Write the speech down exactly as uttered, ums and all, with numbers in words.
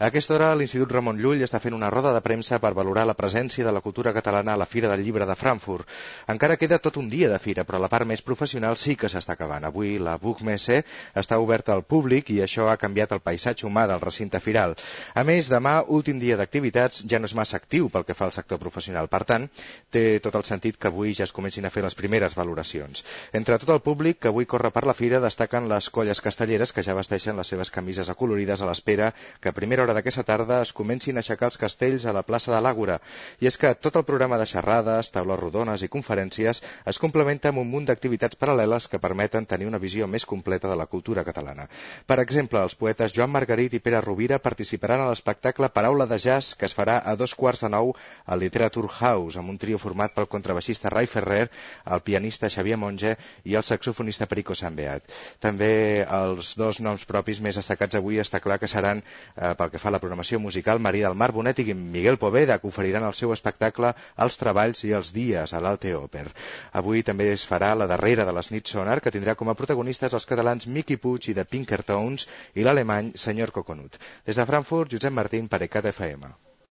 A aquesta hora, l'Institut Ramon Llull està fent una roda de premsa per valorar la presència de la cultura catalana a la Fira del Llibre de Frankfurt. Encara queda tot un dia de fira, però la part més professional sí que s'està acabant. Avui la Buchmesse està oberta al públic i això ha canviat el paisatge humà del recinte firal. A més, demà, últim dia d'activitats, ja no és massa actiu pel que fa al sector professional. Per tant, té tot el sentit que avui ja es comencin a fer les primeres valoracions. Entre tot el públic que avui corre per la fira destaquen les colles castelleres que ja vesteixen les seves camises acolorides a l'espera que a primera hora d'aquesta tarda es comencin a aixecar els castells a la plaça de l'Àgora. I és que tot el programa de xerrades, taules rodones i conferències es complementa amb un munt d'activitats paral·leles que permeten tenir una visió més completa de la cultura catalana. Per exemple, els poetes Joan Margarit i Pere Rovira participaran a l'espectacle Paraula de Jazz, que es farà a dos quarts de nou al Literature House, amb un trio format pel contrabaixista Ray Ferrer, el pianista Xavier Monge i el saxofonista Perico Sambeat. També els dos noms propis més destacats avui està clar que seran, eh, pel que fa a la programació musical, Maria del Mar Bonet i Miguel Poveda, que oferiran el seu espectacle Els treballs i els dies a l'Alte Oper. Avui també es farà la darrera de les nits Sonar, que tindrà com a protagonistes els catalans Miqui Puig i de Pinkertones i l'alemany Senyor Coconut. Des de Frankfurt, Josep Martín per ECAT F M.